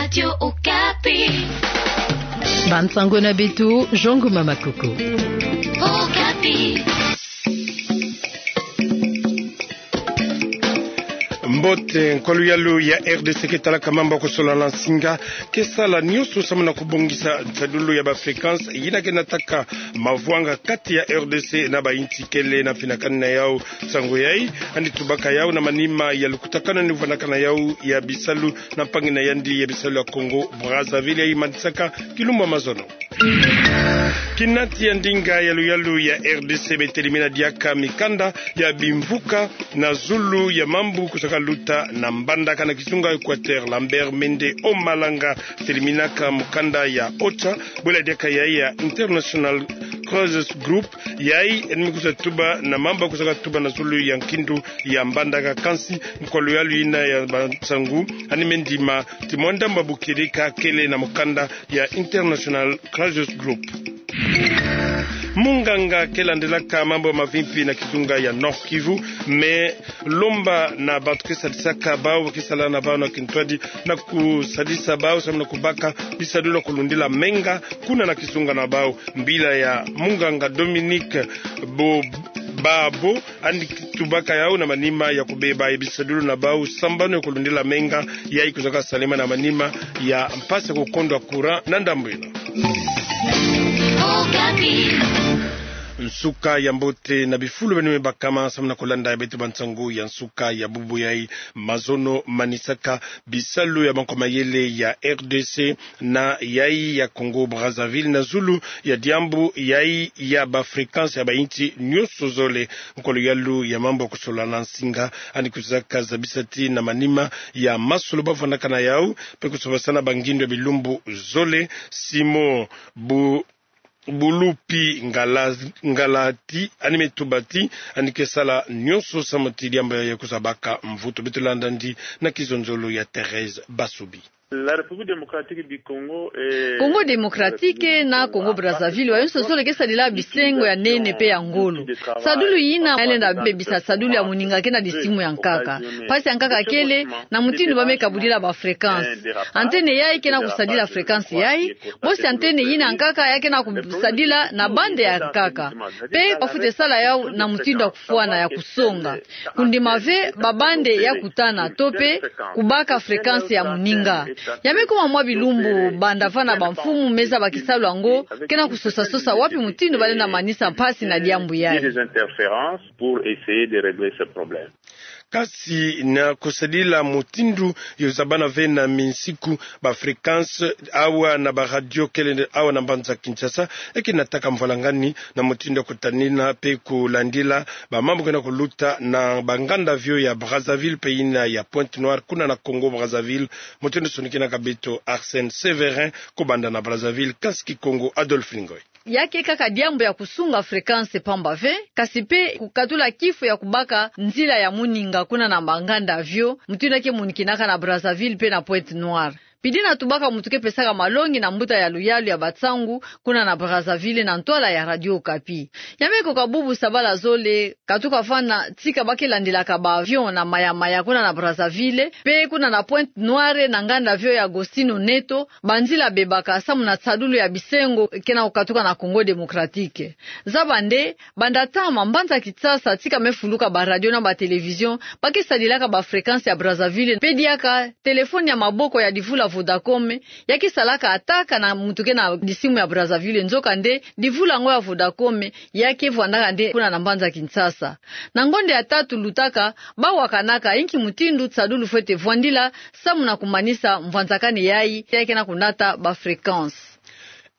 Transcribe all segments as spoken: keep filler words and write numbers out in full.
Radio Okapi. Bansango na beto, Jean Ngoma Makoko. Okapi. Mbote. Nkwa luyalu ya R D C ke talaka mambu ya kusola na nsinga ke sala nyonso samu na kubongisa nsadulu ya ba fréquence yina ke nataka mavwanga kati ya R D C na ba insi kele na finakani na yau. Nsangu yai yandi tubaka yau na manima ya lukutakanu yandi vwanakana yau ya bisalu na mpangi na yandi ya bisalu ya Congo Brazzaville, yai manisaka kilumbu ya mazono. Kinati ya ndinga ya luyalu ya R D C betelimina diaka mikanda ya bimvuka na zulu ya mambu kusaka luta na Mbandaka na kizunga Équateur. Lambert Mende Omalanga teliminaka mukanda ya OCHA, bwela diaka yai ya International Crisis Group, yai yandi me kusa tuba na mambu kusaka tuba na zulu ya nkindu ya Mbandaka. Kansi nkwa luyalu yina ya bansangu yandi me ndima ti mwa ndambu ya bukirika kele na mukanda ya International Crisis Group. Munganga ke landilaka mambu ya mavimpi na kizunga ya Nord-Kivu me lomba na bantu ke sadisaka bau, ke sala na bau na kintwadi na kusadisa bau samu na kubaka bisalu na kulundila menga kuna na kizunga na bau. Mbila ya munganga Dominique Bo Babo yandi tubaka yau na manima ya kubeba bisadulu na bau sambanu ya kulundila menga, yai kuzaka salema na manima ya mpasi ya kukondwa courant na ndambu yina. Nsuka ya mbote na bifulu beno me bakama samu na kulanda ya beto bansangu ya nsuka ya bubu yai. Mazono manisaka bisalu ya bankwa mayele ya R D C na yai ya Congo Brazzaville na zulu ya diambu yai ya ba fréquence ya ba insi nyonso zole. Nkwa luyalu ya mambu ya kusola na nsinga yandi kuzaka zabisa ti na manima ya masolo bavwanakana yau pe kusobasana bangindu ya bilumbu zole, Simon Bu Bulupi Ngala Ngalati yandi me tuba ti yandi ke sala nyonso samu ti diambu yai kusa baka mvutu. Beto landa yandi na kizonzolo ya Thérèse Basubi. La République démocratique du Congo et Congo Démocratique na Congo Brazzaville, wayonso zole ke sadila bisengo ya nene pe ya ngolo. Sadulu yina yalenda bebisa sadulu ya moninga ke na disimu ya nkaka. Mpasi ya nkaka kele na mutindu ba me kabudila ba fréquence. Antenne yai ke na kusadila fréquence yai, bosi antenne yina ya nkaka ya ke na kusadila na bande ya nkaka. Pe bafwete sala yau na mutindu ya kufwana, ya kusonga. Kundima ve ba bande ya kutana to pe kubaka fréquence ya moninga. Ya me kuma mwa bilumbu banda vana bamfumu me zaba kisalu yango ke na kusosa-sosa wapi mutindu balenda manisa mpasi na diambu yai. Des interférences pour essayer de régler ce problème. Kasi na kusadila mutindu yo zabana ve na minsiku ba fréquence awa na ba radio kele awa na mbanza Kinshasa, e ke nataka mvwalangani na mutindu ya kutanina pe kulandila ba mambu ke na kuluta na ba nganda avion ya Brazzaville pe yina ya Pointe-Noire kuna na Congo Brazzaville. Mutindu sonikinaka beto Arsène Sévérin kubanda na Brazzaville, kansi Kikongo Adolphe Ngoy. Ya ke kaka diambu ya kusunga fréquence pamba ve, kasi pe kukatula kifu ya kubaka nzila ya moninga kuna na ba nganda avion, mutindu ya ke monikinaka na Brazzaville pe na Pointe-Noire. Pidi na tubaka muntu ke pesaka malongi na mbuta ya luyalu ya bansangu kuna na Brazzaville na ntwala ya Radio Okapi. Ya me koka bubu sabala zole, katuka vana tika ba ke landilaka ba avion na Maya-Maya kuna na Brazzaville, pe kuna na Pointe-Noire na nganda avion ya Agostinho Neto, banzila bebaka samu na nsadulu ya bisengo ke na kukatuka na Congo Démocratique. Zaba nde, banda ntama mbanza Kinshasa tika me fuluka ba radio na ba télévision ba ke sadilaka ba fréquence ya Brazzaville, pe diaka téléphone ya maboko ya divula Vodacom ya ke salaka attaque na muntu ke na disimu ya Brazzaville, nzokande divula yango ya Vodacom ya ke vwandaka nde kuna na mbanza Kinshasa. Na ngonde ya tatu lutaka, ba wakanaka inki mutindu nsadulu fwete vwandila samu na kumanisa mvwanzakani yai, ya ke na kunata ba fréquence.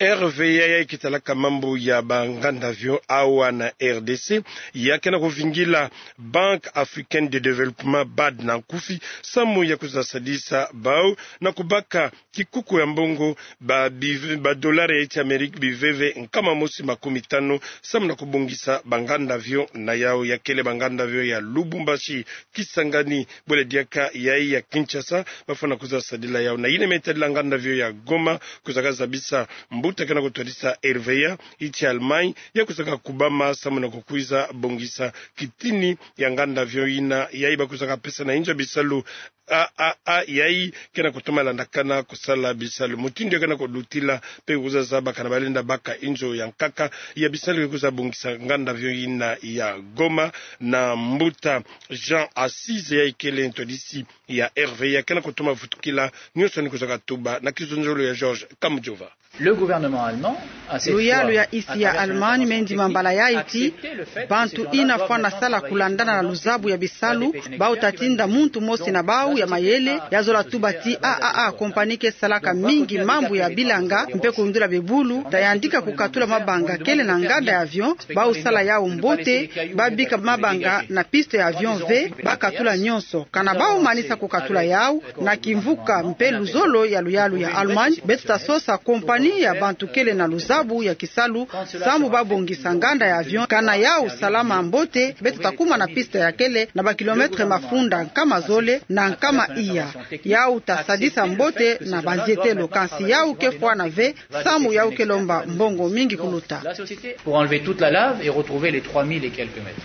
R V A yai ke talaka mambu ya ba nganda avion awa na R D C, ya ke na kuvingila Banque Africaine de Développement, bad na nkufi, samu ya kuzasadisa bau na kubaka kikuku ya mbongo ba bive-, ba dollar ya insi Amérique biveve nkama mosi makumi tanu, samu na kubongisa ba nganda avion na yau. Ya kele ba nganda avion ya Lubumbashi, Kisangani, bwele diaka yai ya Kinshasa, bafwana kuzasadila yau. Na yina me tadila nganda avion ya Goma, kuzaka zabisa mbuta ke na kutwadisa R V A, insi Allemagne ya kuzaka kubama samu na kukwiza bongisa kitini ya nganda avion yina, yai ba kuzaka pesa na inzo ya bisalu A A A, yayi ke na kutoma landakana kusala bisalu. Mutindu ya ke na kulutila mpe kuzazaba kana balenda baka inzo ya nkaka ya bisalu ke kuza bongisa nganda avion yina ya Goma, na mbuta Jean Assise, yayi kele ntwadisi ya R V A, ke na kutoma vutukila nionso yandi kuzaka tuba na kizonzolo ya Georges Kamujova. Le gouvernement allemand a cette fois... Luyalu ya isi ya Allemagne me ndima mbala yayi ti bantu yina fwana sala kulandana na luzabu ya bisalu, bau ta tinda muntu mosi na bau ya mayele ya zola tuba ti A A A, compagnie ke salaka mingi mambu ya bilanga mpe kundula bebulu, ta yandika kukatula mabanga kele na nganda ya avion, bau sala yau mbote, ba bika mabanga na piste ya avion ve, ba katula nionso. Kana bau manisa kukatula yau, na kimvuka mpe luzolo ya luyalu ya Allemagne, beto ta sosa compagnie ya bantu kele na luzabu ya kisalu, sambu ba bongisa nganda ya avion. Kana yau salama mbote, beto ta kuma na piste ya kele na ba kilomètre mafunda nkama zole na nkama iya. Yau ta sadisa mbote na banzietelo, kansi yau ke fwana ve, sambu yau ke lomba mbongo mingi kuluta. Pour enlever toute la lave et retrouver les trois mille et quelques mètres.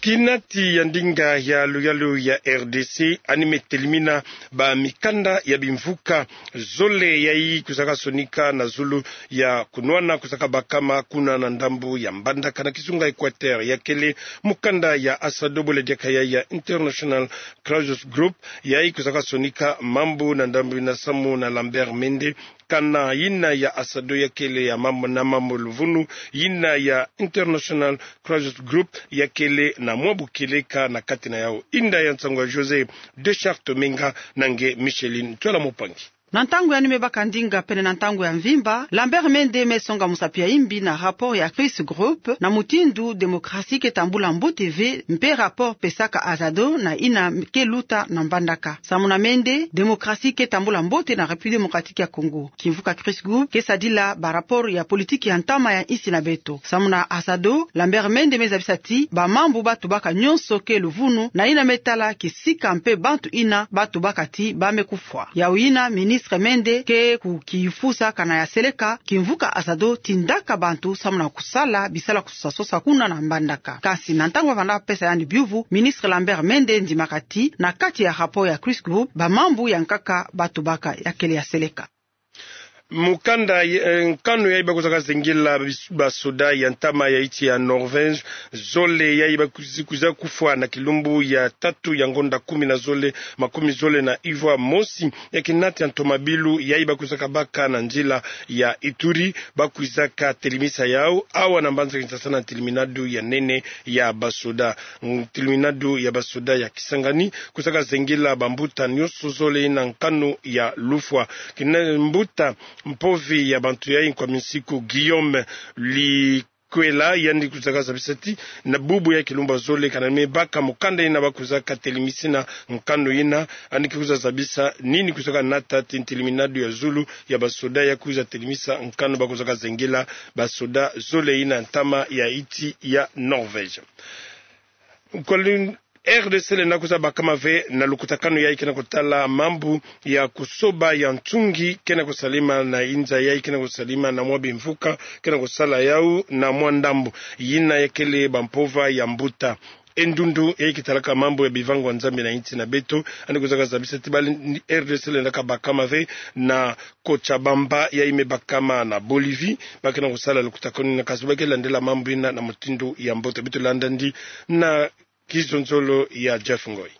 Kinati ya ndinga ya luyalu ya R D C yandi me telimina ba mikanda ya bimvuka zole yayi kuzaka sonika na zulu ya kunwana kuzaka bakama kuna na ndambu ya Mbandaka na kizunga Équateur. Ya kele mukanda ya ASADO, bole diaka ya, ya International Crisis Group, yayi kuzaka sonika mambu na ndambu yina samu na Lambert Mende. Kana yina ya ASADO ya kele ya mambu na mambu luvunu, yina ya International Crisis Group ya kele na mwa bukieleka na kati na yau. Inda ya nsangu ya José Deschartes Menga na nge Micheline Twala Mupangi. Na ntangu yandi me baka ndinga pene na ntangu ya mvimba, Lambert Mende me songa musapi ya imbi na rapport ya Crisis Group na mutindu démocratie ke tambula mbote ve, mpe rapport pesaka ASADO na yina ke luta na Mbandaka. Samu na Mende, démocratie ke tambula mbote na République Démocratique ya Congo. Kimvuka Crisis Group ke sadila ba rapport ya politique ya ntama ya insi na beto. Samu na ASADO, Lambert Mende me zabisa ti ba mambu ba tubaka nionso ke luvunu na yina me tala kisika mpe bantu yina ba tubaka ti ba me kufwa. Yau yina ministre Mende ke kukiyifusa kana ya seleka, kimvuka ASADO tindaka bantu samu na kusala bisalu kusosa sosa kuna na Mbandaka. Kansi na ntangu ba vanda pesa yandi biuvu, ministre Lambert Mende ndimaka ti na kati ya rapport ya Crisis Group, ba mambu ya nkaka ba tubaka ya kele ya seleka. Mukanda, eh, nkanu yayi ba kuzaka zengela bis-, basoda ya ntama ya insi ya Norvège zole yayi ba kuzi-, kwiza kufwa na kilumbu ya tatu ya ngonda kumi na zole, makumi zole na ivwa mosi, ya kinati ya ntomabilu yayi ba kwizaka baka na nzila ya Ituri, ba kwizaka telimisa yau awa na mbanza Kinshasa na nteliminadu ya nene ya basoda. Nteliminadu ya basoda ya Kisangani kwizaka zengela bambuta nionso zole na nkanu ya lufwa. Kina mbuta mpovi ya bantu yayi, Nkwaminsiku Guillaume Li- kwela, yandi kwizaka zabisa ti na bubu ya kilumbu ya zole kana me baka mukanda yina ba kwizaka telimisina nkanu yina, yandi ke kwiza zabisa nini kwizaka nata ti nteliminadu ya zulu ya basoda ya kwiza telimisa nkanu ba kwizaka zengela basoda zole yina ntama ya insi ya Norvège. Nkwa lin-, R D C lenda kwiza bakama ve na lukutakanu yayi ke na kutala mambu ya kusoba ya nsungi ke na kusalama na inza yayi ke na kusalama na mwa bimvuka ke na kusala yau na mwa ndambu yina ya kele bampova ya mbuta Endundu yayi ke talaka mambu ya bivangwa Nzambi na insi na beto, yandi kwizaka zabisa ti bali R D C lenda kabakama ve na Cochabamba yayi me bakama na Bolivie, ba ke na kusala lukutakanu yina, kansi ba ke landela mambu yina na mutindu ya mbote. Beto landa yandi na kizonzolo ya Jeff Ngoy.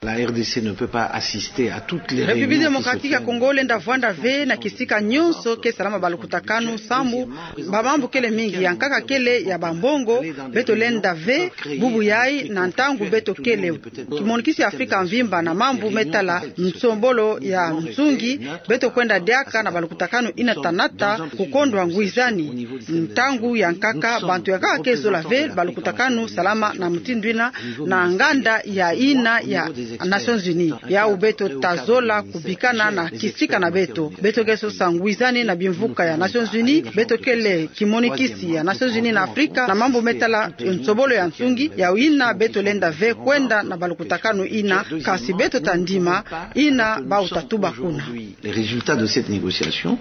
La R D C ne peut pas assister à toutes les réunions qui se tiennent. République Démocratique ya Congo lenda vwanda ve na kisika nionso ke salama balukutakanu, sambu bamambu kele mingi, ya nkaka kele ya bambongo. Beto lenda ve bubu yayi na ntangu beto kele kimonikisi ya Afrika mvimba na mambu me tala nsombolo ya nsungi, beto kwenda diaka na balukutakanu yina ta nata kukondwa ngwizani. Ntangu ya nkaka, bantu ya nkaka ke zola ve balukutakanu salama na mutindu yina na nganda ya yina ya Nations Unies. Yau beto ta zola kubikana na kisika na beto. Beto ke sosa ngwizani na bimvuka ya Nations Unies, beto kele kimonikisi ya Nations Unies na Afrika na mambu me tala nsombolo ya nsungi. Yau yina beto lenda ve kwenda na balukutakanu yina, kansi beto ta ndima yina bau ta tuba kuna. Les résultats de cette négociation.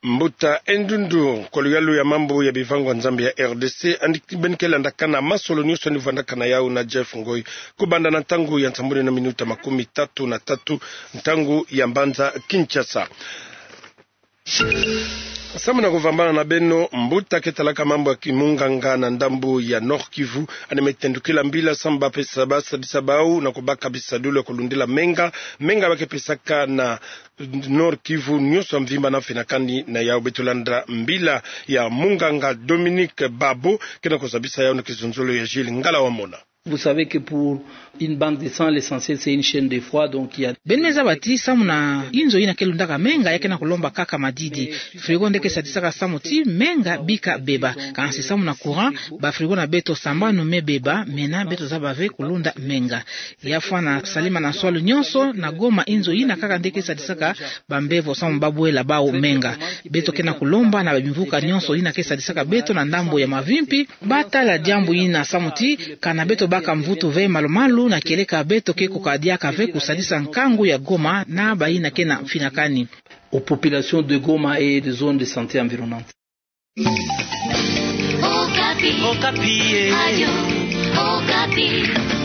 Mbuta Endundu, kwa luyalu ya mambu ya bivangwa nzambi ya R D C, andi beni ke landakana masolo nyonso ni vandakana yau na Jeff Ngoi. Kubanda na ntangu ya nsambwadi na minuta makumi tatu na tatu, ntangu ya mbanza Kinshasa. Samu na kuvambana na beno, mbuta ke talaka mambu ya kimunganga na ndambu ya Nord-Kivu, andi me tendukila mbila samu ba pesa, ba sadisa bau na kubaka bisadulu ya kulundila menga, menga ba ke pesaka na Nord-Kivu nyonso ya mvimba na finakani na yau. Beto landa mbila ya munganga Dominique Babo, ke na kuzabisa yau na kizunzolo ya Gilles Ngala Wamona. Vous savez que pour une banque de sang, l'essentiel, c'est une chaîne de froid, donc il y a... Beno me zaba ti samu na inzo ina ke lundaka menga ya ke na kulomba kaka madidi. Frigo nde ke sadisaka samu ti menga bika beba. Kansi samu na courant, ba frigo na beto sambanu me beba, mena beto zaba ve kulunda menga. Ya fwana Salima na Nswalu nyonso na Goma, inzo ina kaka nde ke sadisaka bambevo samu ba bwela bau menga. Beto ke na kulomba na bimvuka nyonso ina ke sadisaka beto na ndambu ya mavimpi, ba tala diambu ina samu ti kana beto baka mvutu ve malu-malu na kieleka beto ke kukadiaka ve kusadisa nkangu ya Goma na ba ina ke na finakani. Aux populations de Goma et des zones de santé environnantes. Okapi. Okapi, eh. Radio Okapi.